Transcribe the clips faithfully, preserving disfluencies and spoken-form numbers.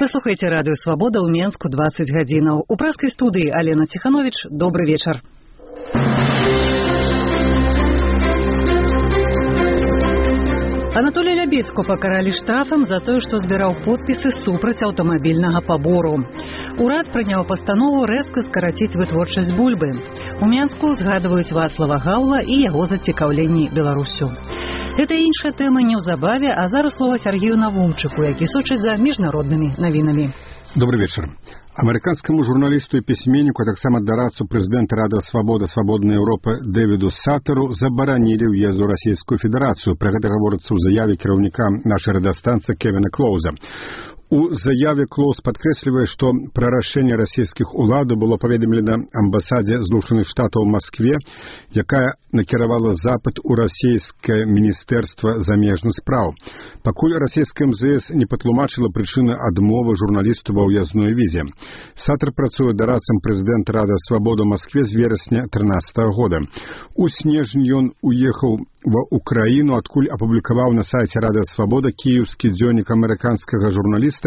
Вы слухаеце радыё Свабода ў Менску дваццаць гадзінаў. У праскай студыі Алена Ціхановіч. Добры вечар. Анатолія Лябедзьку пакаралі штрафам за тое, што збіраў подпісы супраць аўтамабільнага пабору. Урад прыняў пастанову рэзка скараціць вытворчасць бульбы. У Менску згадваюць Вацлава Гаўла і яго зацікаўленні Беларусю. Гэта іншая тэма неўзабаве, а зараз слова Сергею Навумчыку, які сочыць за міжнароднымі навінамі. Добрый вечер. Американскому журналисту и письменнику, а таксама дарадцу президента Радио Свобода Свободной Европы Дэвиду Саттеру забаранили въезд в Российскую Федерацию. Про это говорится в заяве кіраўніка нашей радиостанции Кевина Клоуза. У заяве Клоуз падкрэслівае, што пра рашэнне расійскіх уладаў было паведамлена амбасадзе Злучаных Штатаў у Маскве, якая накіравала запыт у расійскае міністэрства замежных спраў. Пакуль расійская эм зэ эс не патлумачыла прычыны адмовы журналісту ва ўязной візе. Саттер працуе дарадцам прэзідэнта Радыё Свабода ў Маскве з верасня трынаццатага года. У снежні ён уехаў ва Украіну, адкуль апублікаваў на сайце Радыё Свабода кіеўскі дзённік амерыканскага журналіста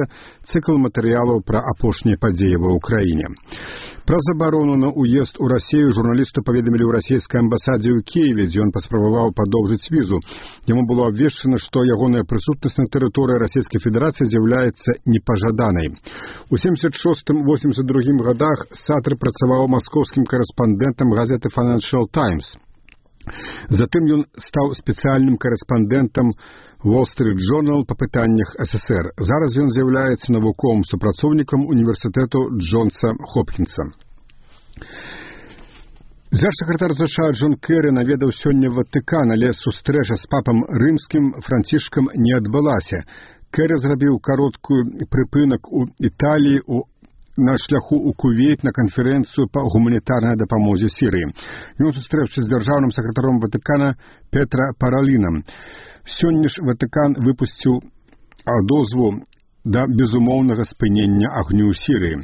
цикл матэрыялаў пра апошнія падзеі ва Украіне. Пра забарону на уезд у Расію журналісту паведамілі ў расійскай амбасадзе ў Киеве, дзе ён паспрабаваў падоўжыць візу. Яму было абвешчана, што ягоная прысутнасць на тэрыторыі Расійскай Федэрацыі з'яўляецца непажаданай. У семьдесят шостым — восемьдесят другім годах Саттер працаваў маскоўскім карэспандэнтам газеты Financial Times. Затым ён стаў спецыяльным карэспандэнтам Wall Street Journal па пытаннях эс эс эр. Зараз ён з'яўляецца навуковым супрацоўнікам універсітэту Джонса Хопкінса. Дзяржсакратар ЗША Джон Керрі наведаў сёння Ватыкан, але сустрэча з папам рымскім Францішкам не адбылася. Керрі зрабіў кароткую прыпынак у Італіі у на шляху у Кувейт на канферэнцыю па гуманітарнай дапамозе Сірыі. Ён сустрэўся з дзяржаўным сакратаром Ватыкана Петра Паралінам. Сёння ж Ватыкан выпусціў дозвол да безумоўнага спынення агню ў Сірыі.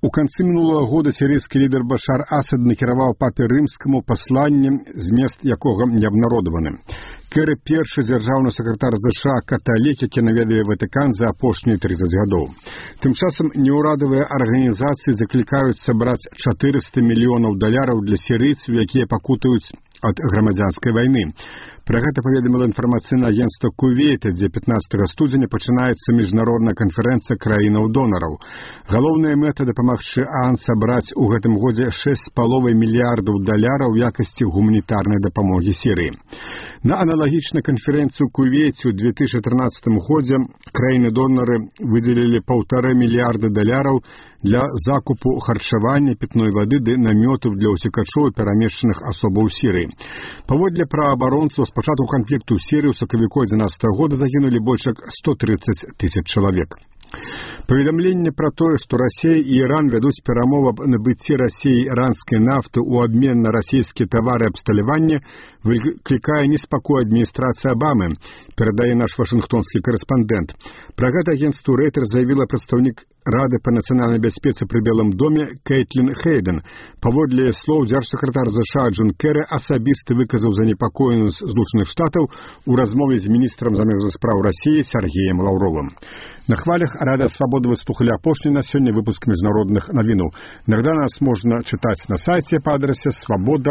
У канцы мінулага года сірыйскі лідар Башар Асад накіраваў папе рымскаму пасланне, змест якога не абнародаваны. Керрі першы дзяржаўны сакратар ЗША каталік, які наведае Ватыкан за апошнія трыццаць гадоў. Тым часам неўрадавыя арганізацыі заклікаюць сабраць чатырыста мільёнаў даляраў для сірыйцаў, якія пакутаюць ад грамадзянскай вайны. Пра гэта паведаміла інфармацыйнае агенцтва Кувейта, дзе пятнаццатага студзеня пачынаецца міжнародная канферэнцыя краінаў-донараў. Галоўная мэта дапамагчы ААН сабраць у гэтым годзе шэсць з паловай мільярдаў даляраў у якасці гуманітарнай дапамогі Сірыі. На аналагічнай канферэнцыі ў Кувейце ў две тысячы трынаццатым годзе краіны-донары выдзелілі паўтара мільярда даляраў для закупу харчавання, пітной вады ды намётаў для ўцекачоў і перамешчаных асобаў Сірыі. Паводле праваабаронцаў, з пачатку канфлікту ў Сірыі ў сакавіку дванадцатага года загінулі больш як сто трыццаць тысяч чалавек. Паведамленне пра тое, што Расія і Іран вядуць перамовы аб набыцці Расіі іранскай нафты ў абмен на расійскія тавары абсталявання, выклікае неспакой адміністрацыі Абамы, перадае наш вашынгтонскі карэспандэнт. Пра гэта агенцтву Рэйтер заявіла прадстаўнік Рады па нацыянальнай бяспецы пры Белым доме Кейтлін Хейден. Паводле слоў, дзяржсакратар ЗША Джон Керрі асабіста выказаў занепакоенасць Злучаных Штатаў у размове з міністрам замежных спраў Расіі Сергеем Лаўровым. На хвалях Радыё Свабода вы слухали апошні на сёння выпуск міжнародных навінаў. Иногда нас можна чытаць на сайце па адрасе свабода